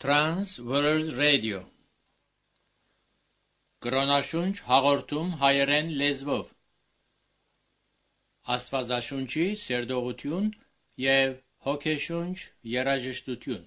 Trans World Radio Կրոնաշունչ հաղորդում հայերեն լեզվով Աստվածաշունչի սերտողություն և հոգեշունչ երաժշտություն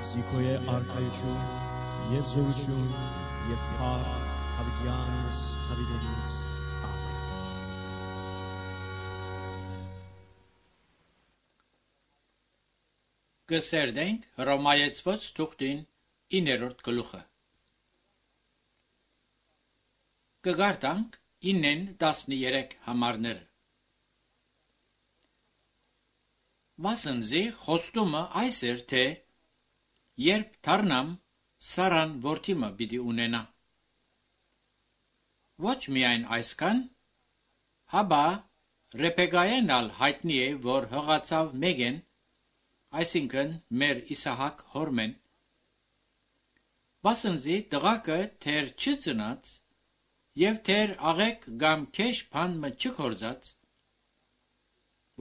Զիքոյե արքայություն և զորություն և փառք հավիտյանս հավիտենից ամեն։ Կսերդենք Հռոմայեցված թուղթին 9-րդ գլուխը Կգարտանք 9-13 համարները Վասնզի խոստումը այս էր, թե երբ դառնամ Սարան որդիմը պիտի ունենա Ոչ միայն այսքան հաբա Ռեբեկային ալ հայտնի է որ հղացավ Մեգեն այսինքն մեր Իսահակ հորմեն Վասնզի տղակը թեր չծնած և թեր աղեք կամ քեշ բանմը չքործած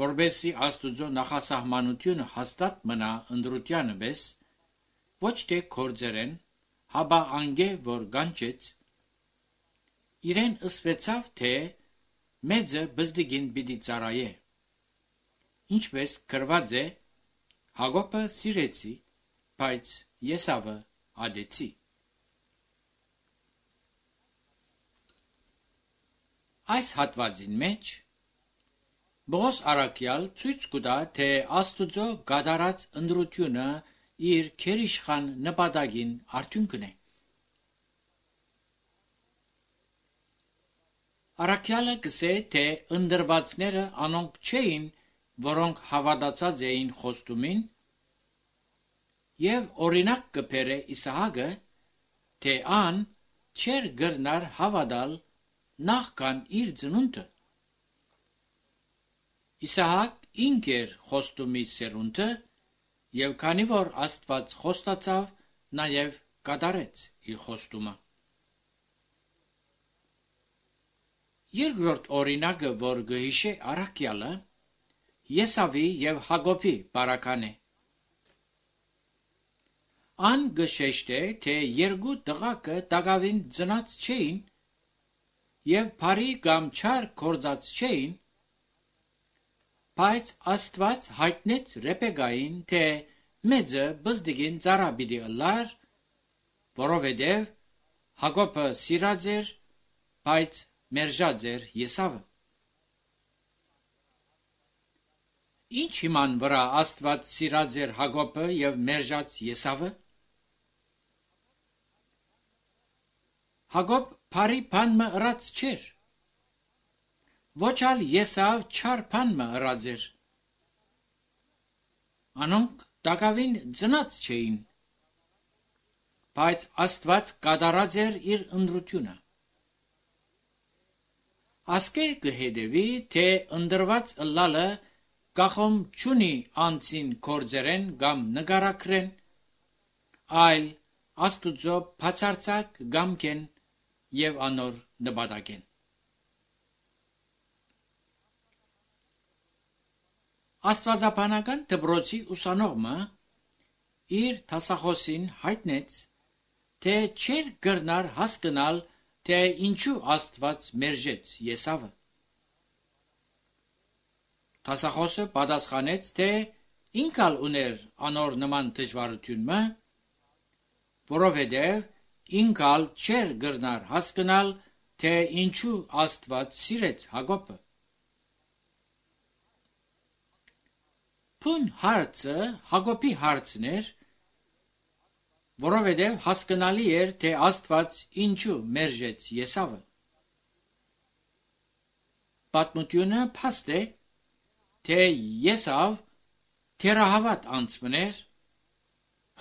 որբեսի Աստուծո նախասահմանությունը հաստատ մնա ընդրությանը պես ոչ թե կործերեն, հաբա անգե, որ գանչեց, իրեն ըսվեցավ, թե մեծը բզդիգին պիտի ծարայե, ինչպես կրված է, Հակոբը սիրեցի, բայց Եսավը ադեցի։ Այս հատվածին մեջ Բողոս առաքյալ ցույց կտա, թե Աստուծո գադարած ընդրությունը իր քերիշխան նպատակին արդյունքն է։ Առաքյալը կսե, թե ընդրվածները անոնք չէին, որոնք հավատացած էին խոստումին, և օրինակ կբերե Իսահակը, թե ան չեր գրնար հավատալ նախքան իր ծնունդը։ Իսահակ ինք էր խոստումի սերունդը, և քանի որ Աստված խոստացավ, նաև կատարեց իր խոստումը։ Երկրորդ օրինակը, որ գհիշե առաքյալը, Եսավի և Հակոբի բարական է։ Ան գշեշտ է, թե երկու տղակը տակավին ծնած չէին, և բարի կամ չար կործած չէին, բայց Աստված հայտնեց Ռեբեկային, թե մեծը բզդիգին ծառա պիտի ըլլար, որովհետև Հակոբը սիրած էր, բայց մերժած էր Եսավը։ Ինչ իման վրա Աստված սիրած էր Հակոբը եւ մերժած Եսավը։ Հակոբ բարի բան մը ըրած չէր, ոչ ալ Եսավ չար բան մը ըրած էր։ Անոնք դակավին ծնած չէին, բայց Աստված կատարած էր իր ընտրությունը։ Ասկե կհետևի, թե ընդրված ըլլալը կախում չունի անցին կործերեն կամ նգարակրեն, այլ Աստուծո բացարձակ գամքեն եւ անոր նպատակեն։ Աստվածաբանական դպրոցի ուսանողը իր դասախոսին հայտնեց, թե չէր գրնար հասկանալ, թե ինչու Աստված մերժեց Եսավը։ Դասախոսը պատասխանեց, թե ինքալ ուներ անոր նման դժվարությունը, որովհետև ինքալ չէր գրնար հասկանալ, թե ինչու Աստված սիրեց Հակոբը։ Փուն հարցը Հակոբի հարցն էր, որովհետև հասկանալի էր, թե Աստված ինչու մերժեց Եսավը։ Պատմությունը փաստ է, թե Եսավ թերահավատ անձն էր,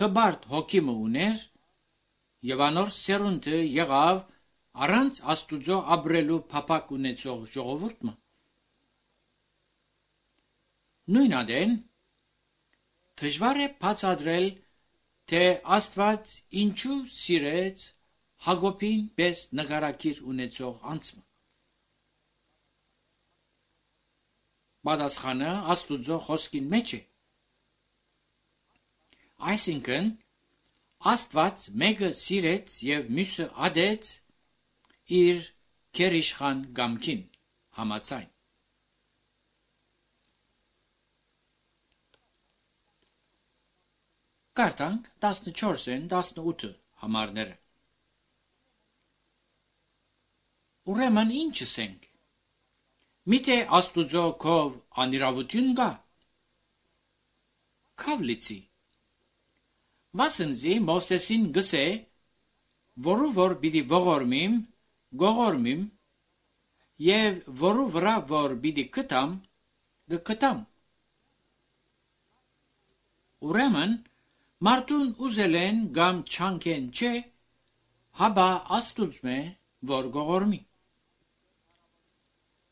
հբարտ հոգիմը ուներ եւ անոր սերունդը եղավ առանց Աստուծո ապրելու փափակ ունեցող ժողովուրդը։ Նույն ադեն դժվար է բացատրել, թե Աստված ինչու սիրեց Հակոբին պես նկարակիր ունեցող անձը։ Պատասխանը Աստուծո խոսքին մեջ է։ Այսինքն Աստված մեկը սիրեց եւ մյուսը ադեց իր քերիշխան գամքին համաձայն։ Կարդանք 14-ին 18 համարները։ Ուրեմն ինչ ասենք։ Միթե Աստուծո քով անիրավություն կա։ Քավլիցի։ Մասնզի Մովսեսին գսե, որու որ պիտի ողորմիմ, գողորմիմ, եւ որու վրա որ պիտի կտամ, գկտամ։ Ուրեմն մարդուն ուզել են կամ չանքեն չէ, հաբա Աստուծմե որ գողորմի։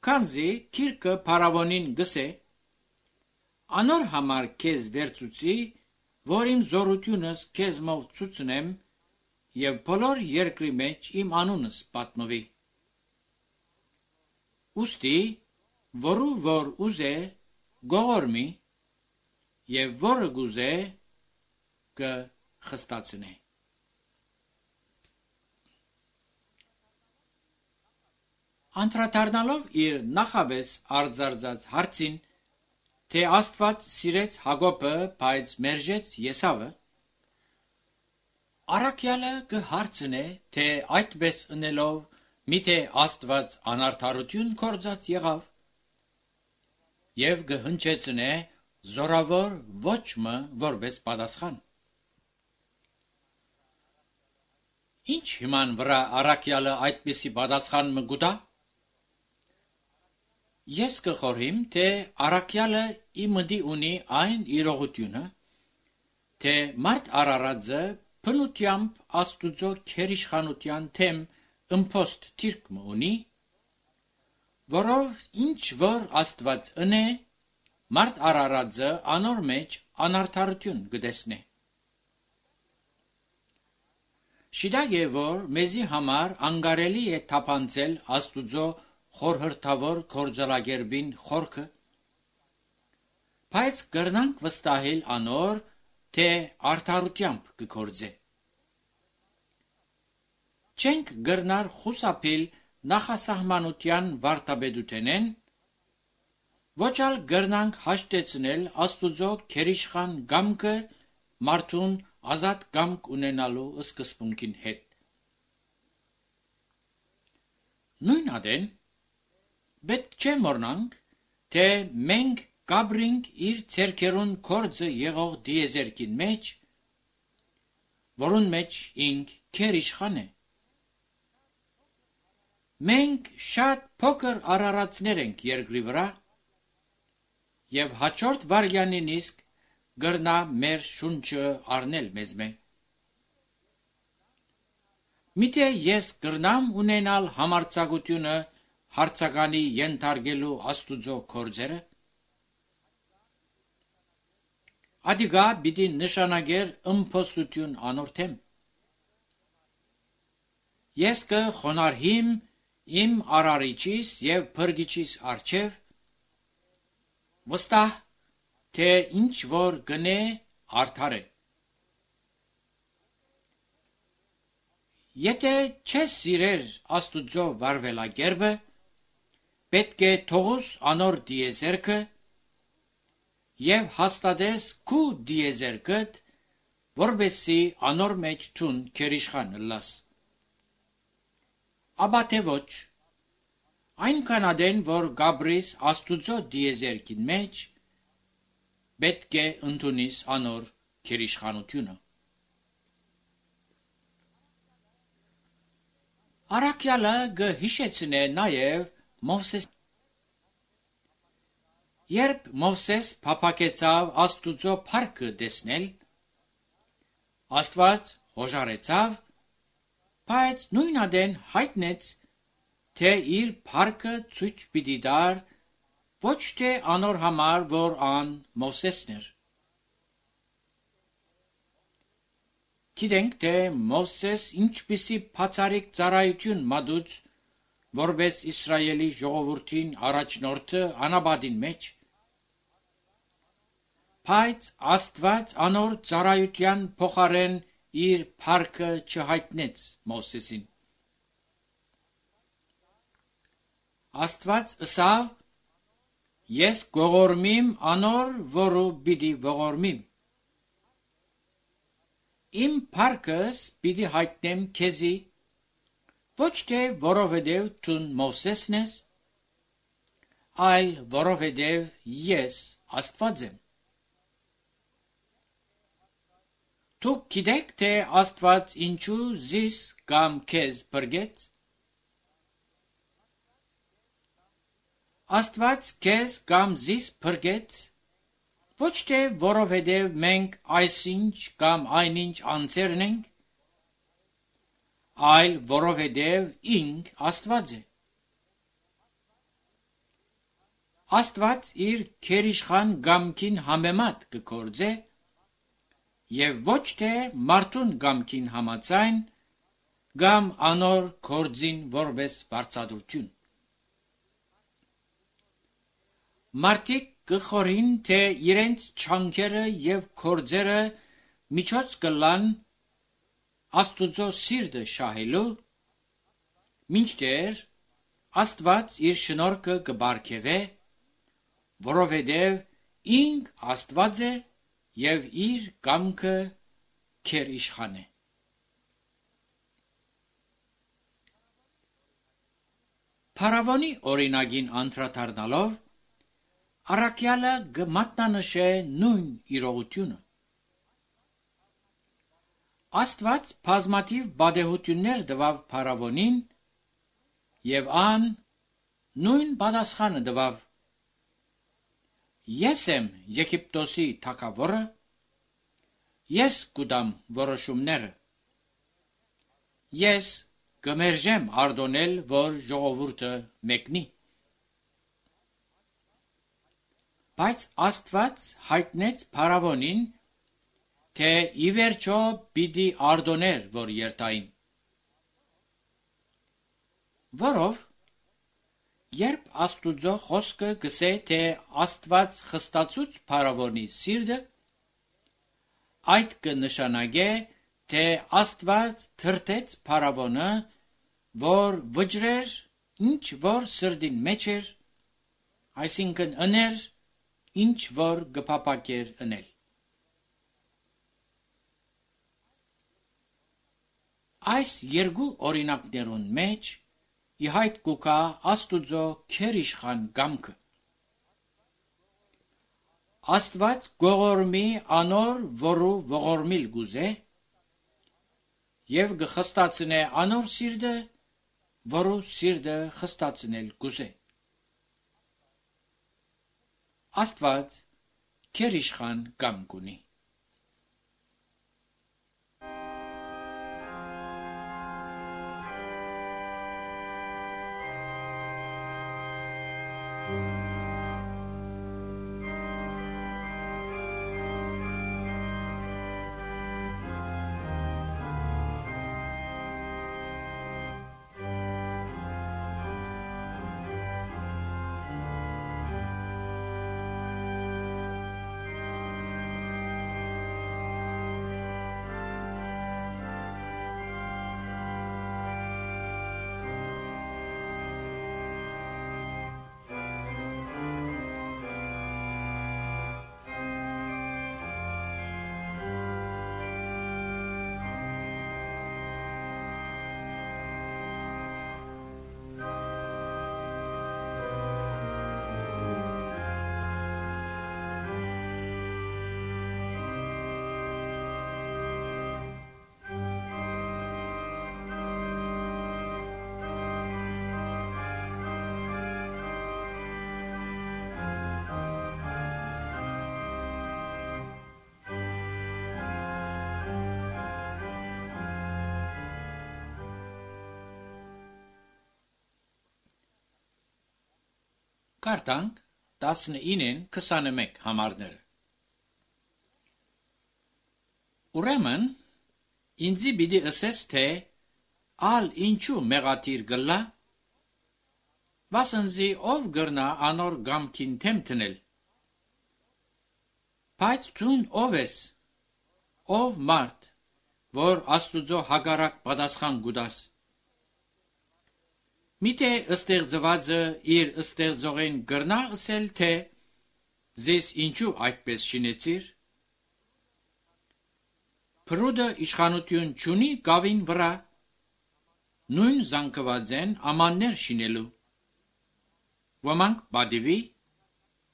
Քանզի քիրքը փարավոնին գսե, անոր համար քեզ վերցուցի, որ իմ զորությունս քեզ մով ցուցնեմ եւ բոլոր երկրի մեջ իմ անունս պատմվի։ Ուստի որու որ ուզե գողորմի եւ որը գուզե կխստացնե։ Անդրադառնալով իր նախաբես արձարծած հարցին, թե Աստված սիրեց Հակոբը, բայց մերժեց Եսավը, առաքյալը կհարցնե, թե այդպես ընելով միթե Աստված անարդարություն կործած եղավ, եւ կհնչեցնե զորավոր ոչմը որպես պատասխան։ Ինչ հիման վրա առաքյալը այդպիսի պատասխան մգուտա։ Ես կխորհիմ, թե առաքյալը իմդի ունի այն իրողությունը, թե մարդ արարածը փնությամբ Աստուծո քերիշխանության թեմ ըմփոստ թիրք ունի, որով ինչ որ Աստված ընե, մարդ արարածը անոր մեջ անարդարություն կտեսնե։ Շիդագ է, որ մեզի համար անգարելի է թափանցել Աստուծո խորհրդավոր կորձալագերբին խորքը, բայց կրնանք վստահել անոր, թե արդարությամբ կկործե։ Չենք գրնար խուսափիլ նախասահմանության վարտաբեդութենեն, ոչ ալ գրնանք հաշտեցնել Աստուծո քերիշխան գամքը մարդուն ազատ կամք ունենալու սկզբունքին հետ։ Նույն ադեն պետք չէ մոռնանք, թե մենք կաբրինք իր ցերկերուն կորձը եղող դիեզերքին մեջ, որուն մեջ ինք քեր իշխան է։ Մենք շատ փոքր արարածներ ենք երկրի վրա, եւ հաջորդ վարյանին իսկ գրնա մեր շունչը առնել մեզ մե։ Միթե ես գրնամ ունենալ համարձակությունը հարցականի ենթարկելու Աստուծո կորձերը։ Ադիգա պիտի նշանագեր ըմփոստություն անորթեմ։ Ես կխոնարհիմ իմ արարիչիս եւ փրկիչիս առջև, վստահ թե ինչ որ գնե արդար է։ Եթե չես սիրեր Աստուծո վարվելակերպը, պետք է թողուս անոր դիեզերքը եւ հաստատես քու դիեզերքդ, որբեսի անոր մեջ թուն քերիշխան լաս։ Աբա թե ոչ, այնքան ադեն, որ գաբրիս Աստուծո դիեզերքին մեջ, պետք է ընդունիս անոր քերիշխանությունը։ Արաքյալը գհիշեցնե նաև Մովսես։ Երբ Մովսես փափակեցավ Աստուծո փառքը տեսնել, Աստված հոժարեցավ, բայց նույն ադեն հայտնեց, թե իր փառքը ցույց պիտի տար ոչ թե անոր համար, որ ան Մովսեսն էր։ Գիտենք, թե Մովսես ինչպիսի բացառիկ ծառայություն մատուց, որպես Իսրայելի ժողովրդին առաջնորդը անաբադին մեջ, բայց Աստված անոր ծառայության փոխարեն իր փառքը չհայտնեց Մովսեսին։ Աստված ըսավ. ես գողորմիմ անոր, որը պիտի ողորմիմ։ Իմ փառքս պիտի հայտնեմ քեզի, ոչ թե որովհետև դու Մովսեսն ես, այլ որովհետև ես Աստված եմ։ Դուք գիտեք, թե Աստված ինչու զիս կամ քեզ փրկեց։ Աստված քեզ կամ զիս փրկեց, ոչ թե որովհետև մենք այսինչ կամ այնինչ անձերն ենք, այլ որովհետև ինք Աստված է։ Աստված իր քերիշխան գամքին համեմատ կգործե եւ ոչ թե մարդուն գամքին համաձայն կամ անոր գործին որպես բարձրություն։ Մարդիկ կխորին, թե իրենց չանքերը եւ գործերը միջոց կլան Աստուծո սիրտը շահելու, մինչդեռ Աստված իր շնորհքը կբարգեւե, որովհետև ինք Աստված է եւ իր կամքը քեր իշխան է։ Փարավոնի օրինագին անդրադառնալով Արաքյալը գմատնանշե նույն իրողությունը։ Աստված բազմաթիվ բադեհություններ տվավ Փարավոնին եւ ան նույն պատասխանը տվավ. Ես եմ Եգիպտոսի թագավորը, ես կուտամ որոշումները, ես կմերժեմ արտոնել, որ ժողովուրդը մեկնի։ Բայց Աստված հայտնեց Փարավոնին, թե ի վերջո պիտի արտոներ, որ երթային։ Որով, երբ Աստուծո խոսքը գսե, թե Աստված խստացուց Փարավոնի սիրտը, այդ կնշանակե, թե Աստված թրթեց Փարավոնը, որ վճռեր, ինչ որ սրտին մեջ էր, այսինքն ըներ, ինչ որ գփապակեր ընել։ Այս երկու օրինակներուն մեջ իհայտ կուկա Աստուծո քերիշխան գամքը։ Աստված գողորմի անոր որու ողորմիլ գուզե եւ գխստացնե անոր սիրտը որու սիրտը խստացնել գուզե։ Աստված քերիշխան գամք ունի։ Կարդանք 19-ին 21 համարները։ Ուրեմն ինձի պիտի ըսես թե ալ ինչու մեղաթիր գլա, վասնզի ով գրնա անոր գամքին թեմ տնել։ Բայց դուն ով ես, ով մարդ, որ Աստուծո հագարակ պատասխան գուտաս։ Միթե ըստեղծվածը իր ըստեղծողին գրնա ըսել թե զես ինչու այդպես շինեցիր։ Փրուդը իշխանություն չունի գավին վրա, նույն զանգված են ամաններ շինելու։ Ոմանք բադիվի,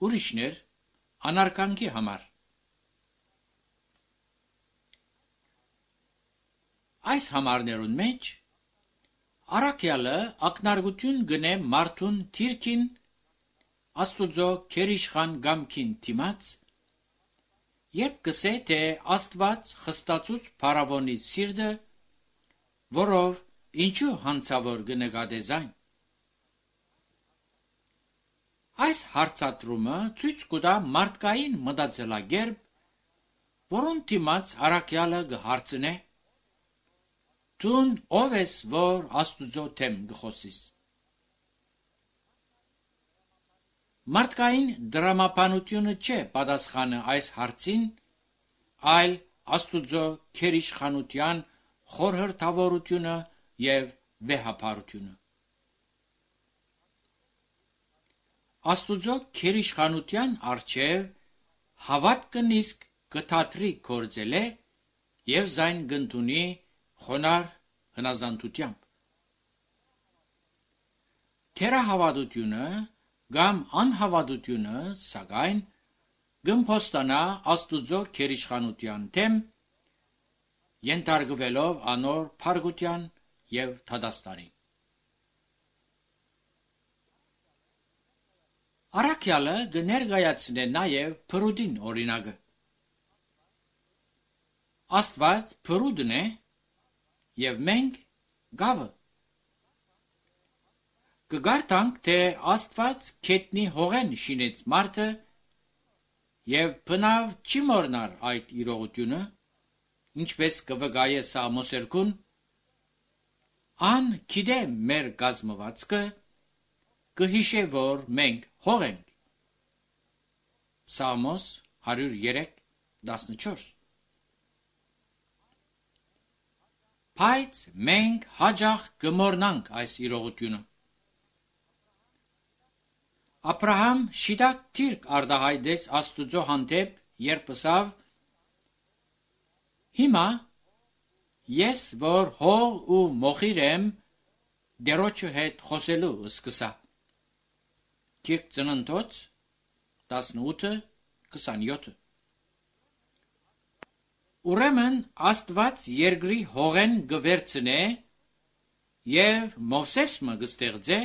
ուրիշներ անարգանքի համար։ Այս համարներուն մեջ Արաքյալը ակնարգություն գնե մարդուն թիրքին Աստուծո քերիշխան գամքին թիմաց, երբ կսե թե Աստված խստացուց փարավոնի սիրտը, որով ինչու հանցավոր կնկատեզայն։ Այս հարցատրումը ցույց կտա մարդկային մտածելակերպ, որոնց դիմաց Արաքյալը կհարցնե. Դուն ով ես, որ Աստուծո թեմ գխոսիս։ Մարդկային դրամապանությունը չէ պատասխանը այս հարցին, այլ Աստուծո քերիշխանության խորհրդավորությունը եւ վեհապարությունը։ Աստուծո քերիշխանության արչեւ հավատքը նիսկ կթատրի կործելե եւ զայն գնդունի խոնար հնազանդությամբ։ Թերահավատությունը կամ անհավատությունը սակայն գմփոստանա Աստուծո քերիշխանության թեմ, ենթարկվելով անոր փարգության եւ թադաստանի։ Արաքյալը կներկայացնե նաեւ փրուդին օրինակը։ Աստված փրուդն է եւ մենք գավը։ Կգարտանք թե Աստված քետնի հողեն շինեց մարդը եւ բնավ չի մորնար այդ իրողությունը, ինչպես կվգայե Սամոս 2-ն, ան գիտե մեր գազմվածքը, կհիշե որ մենք հող ենք։ Սամոս 103:14։ Բայց մենք հաջող կմոռնանք այս իրողությունը։ Աբրահամ շիտակ թիրք արտահայտեց Աստուծո հանդեպ, երբ ասավ. Հիմա ես որ հող ու մոխիր եմ դերոջը հետ խոսելու սկսա։ Կիրք Ծննդոց 18:27 Ուրեմն Աստված երկրի հողեն գվերցնե եւ Մովսեսը գստեղծե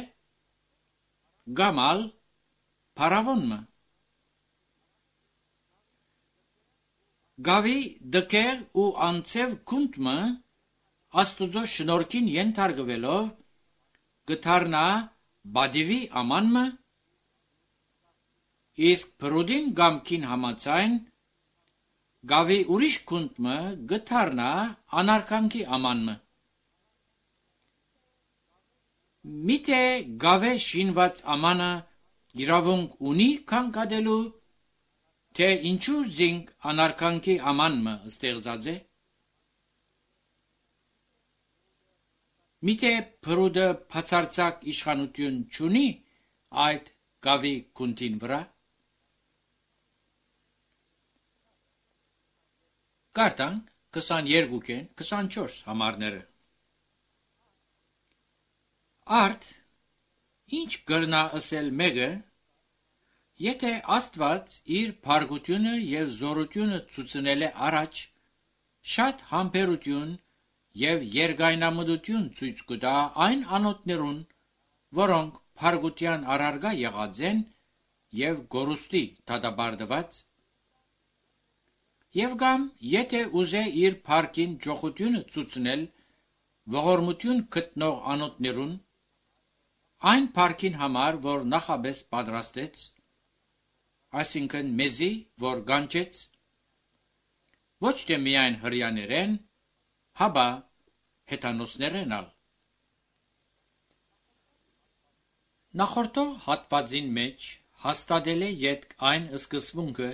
գամալ փարավոնը գավի դկեր ու անցև քունտը Աստուծո շնորհքին ենթարկվելով գթարնա բադիվի ամանը իսկ փրուդին գամքին համացայն գավի ուրիշ քունտը գթարնա անարքանքի ամանը Միթե գավե շինված ամանը իրավունք ունի քանքադելու թե ինչու զինք անարքանքի ամանը ստեղծած է Միթե փրուդը բացարձակ իշխանություն չունի այդ գավի քունտին վրա Կարտանք 22-ին 24 համարները Արդ ինչ կրնա ասել մեկը եթե Աստված իր փարգությունը եւ զորությունը ցույցնել է առաջ շատ համբերություն եւ երգայնամտություն ցույց կտա այն անոթներուն որոնք փարգության առարգա եղած են եւ գորուստի դատաբարդված Եվ գամ եթե ուզե իր փարգին ճոխությունը ցույցնել ողորմություն գտնող անոթներուն այն փարգին համար որ նախաբես պատրաստեց այսինքն մեզի որ գանչեց ոչ թե միայն հрьяաներեն հաբա հեթանոսներեն ալ Նախորդող հատվածին մեջ հաստատել է յետք այն սկզբունքը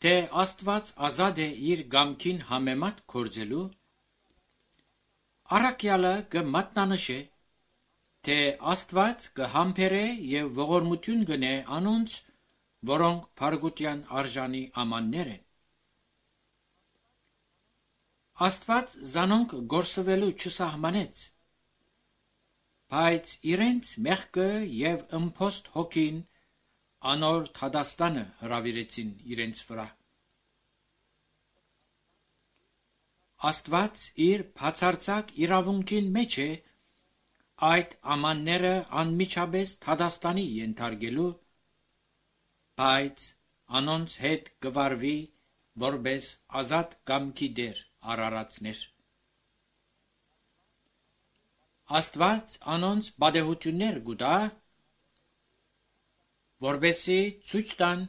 թե Աստված ազատ է իր գամքին համեմատ կործելու Արաքյալը կմատնանշե թե Աստված կհամբերե եւ ողորմություն գնե անոնց որոնք փարգության արժանի ամաններ են Աստված զանոնք գործվելու չսահմանեց բայց իրենց մեղքը եւ ըմփոստ հոգին անոր թադաստանը հրավիրեցին իրենց վրա Աստված իր բացարձակ իրավունքին մեջ է այդ ամանները անմիջապես թադաստանի ենթարկելու բայց անոնց հետ կվարվի որպես ազատ կամքի դեր արարածներ Աստված անոնց բադեհություններ գուտա որբեսի ցույց տան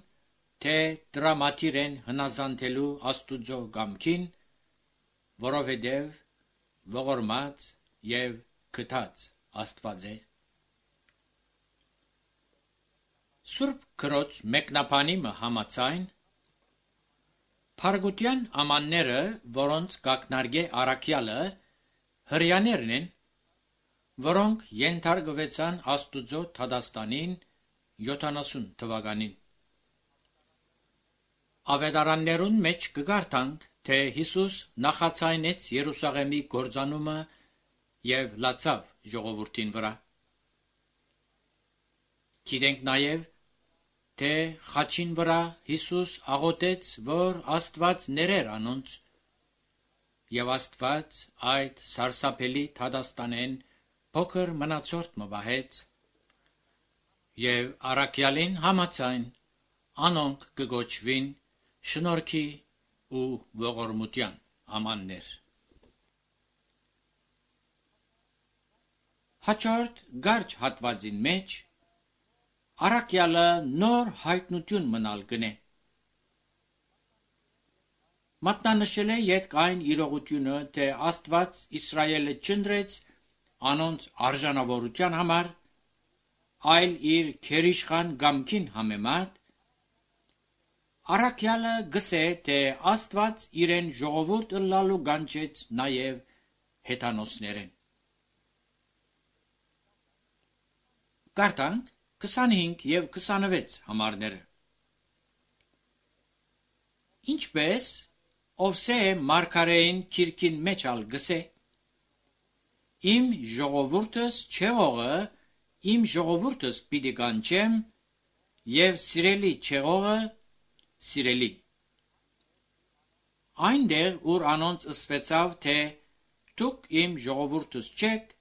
թե դրամատիրեն հնազանդելու Աստուծո գամքին որովհետև ողորմած եւ քթած Աստված է Սուրբ Քրոջ մեկնաբանիմը համաձայն Փարգության ամանները որոնց կակնարկե Արաքյալը հрьяաներն են որոնք ենթարկվեցան Աստուծո թադաստանին 70 թվականին Ավետարաններուն մեջ կգարտանք թե Հիսուս նախացայնեց Երուսաղեմի գործանումը եւ լացավ ժողովրդին վրա Գիտենք նաեւ թե խաչին վրա Հիսուս աղոթեց որ Աստված ներեր անոնց եւ Աստված այդ սարսափելի թադաստանեն փոքր մնացորդ մվահեց եւ Արաքյալին համաձայն անոնք կգոչվին շնորհքի ու ողորմության ամաններ Հաջորդ գարջ հատվածին մեջ Արաքյալը նոր հայտնություն մնալ գնե Մատնանշել է յետք այն իրողությունը թե Աստված Իսրայելը չընտրեց անոնց արժանավորության համար այլ իր քերիշխան գամքին համեմատ Արաքյալը գսե թե Աստված իրեն ժողովուրդ ըլլալու գանչեց նաև հեթանոսներեն Կարդանք 25 եւ 26 համարները Ինչպես Ovse Markarein kirkin meçal gıse. Im ժողովուրդս չեղողը, im ժողովուրդս պիտի կանչեմ, եւ սիրելի չեղողը, սիրելի։ Այնտեղ, ուր անոնց ըսվեցավ, թե դուք im ժողովուրդս չեք,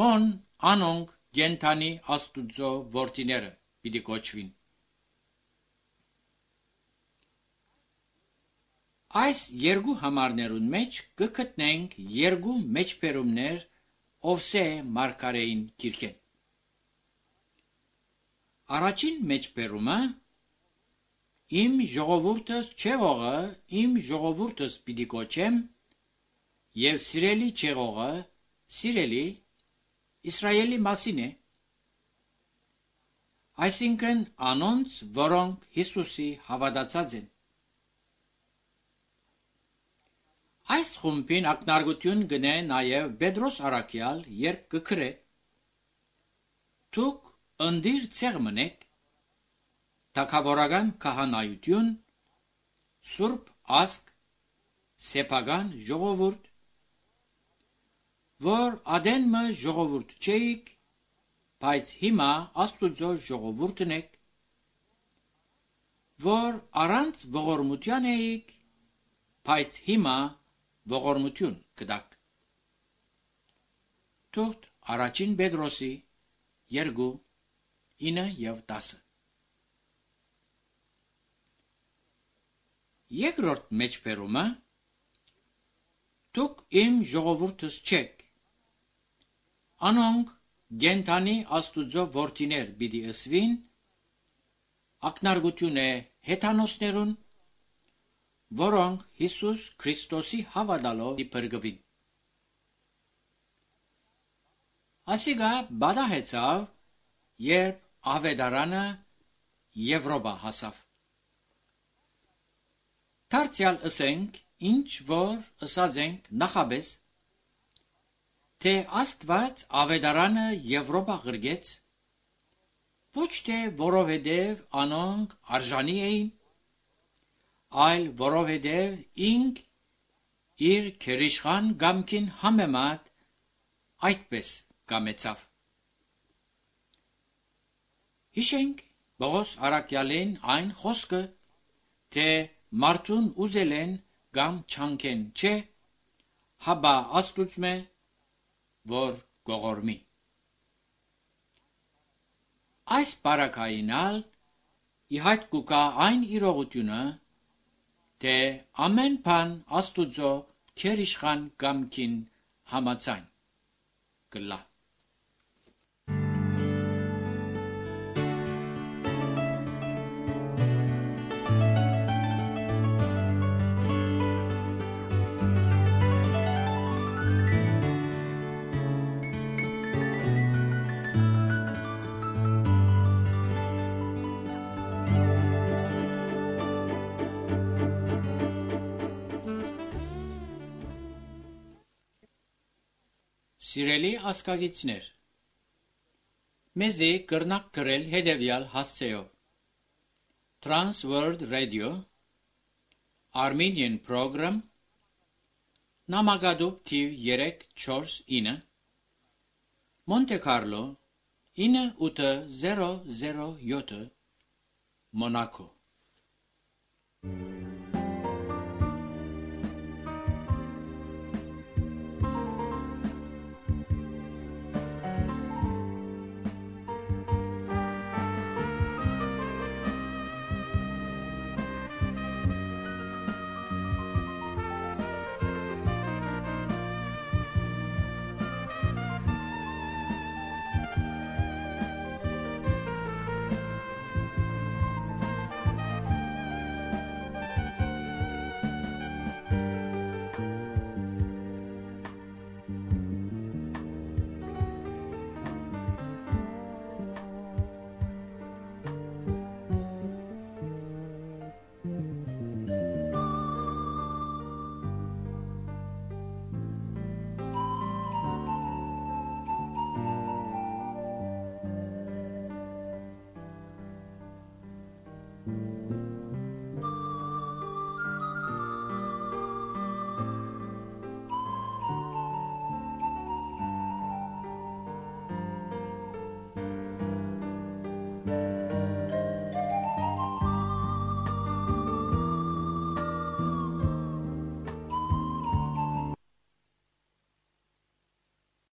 հոն անոնք գենթանի Աստուծո որդիները պիտի կոչվին։ Այս երկու համարներուն մեջ կգտնենք երկու մեջբերումներ Ovse Markarein kirkեն։ Առաջին մեջբերումը Իմ ժողովուրդս չեղողը, իմ ժողովուրդս պիտի կոչեմ, եւ սիրելի չեղողը, սիրելի Իսրայելի մասին է, այսինքն անոնց, որոնք Հիսուսի հավատացած են։ Այս խումբին ակնարկություն գնե նաև Պետրոս Արաքյալ, երբ կգրե. Դուք ընդիր ցեղ մնեք, թագավորական քահանայություն, սուրբ ազգ, սեփական ժողովուրդ, որ ադենմը ժողովուրդ չէիք, բայց հիմա Աստուծո ժողովուրդն եք, որ առանց ողորմության էիք, բայց հիմա ողորմություն կդակ։ Թուղթ առաջին Պետրոսի 2, 9 և 10։ Երկրորդ մեջբերումը դուք իմ ժողովուրդս չեք, անոնք գենթանի Աստուծո որդիներ պիտի ըսվին, ակնարկություն է հեթանոսներուն, որոնք Հիսուս Քրիստոսի հավատալով իբրգվին։ Ասիգա բադահեցավ, երբ ավետարանը Եվրոպա հասավ։ Դարձյալ ըսենք, ինչ որ ըսած ենք նախաբես, թե Աստված ավետարանը Եվրոպա ղրգեց, ոչ թե որովհետև անոնք արժանի էին, այլ որովհետև ինք իր քերիշխան գամքին համեմատ այդպես կամեցավ։ Հիշենք Պողոս Արաքյալին այն խոսքը, թե մարդուն ուզել են կամ չանքեն չէ, հաբա Աստուծմե, որ գողորմի։ Այս բարակայինալ իհայտ կուկա այն իրողությունը, թե ամեն բան Աստուծո քերիշխան գամքին համաձայն կլա։ Սիրելի ասկագիցներ, մեզի կրնակ գրել հետևյալ հասցեով. Trans World Radio, Armenian Program, Namagadob TV 349, Monte Carlo 9807, Monaco։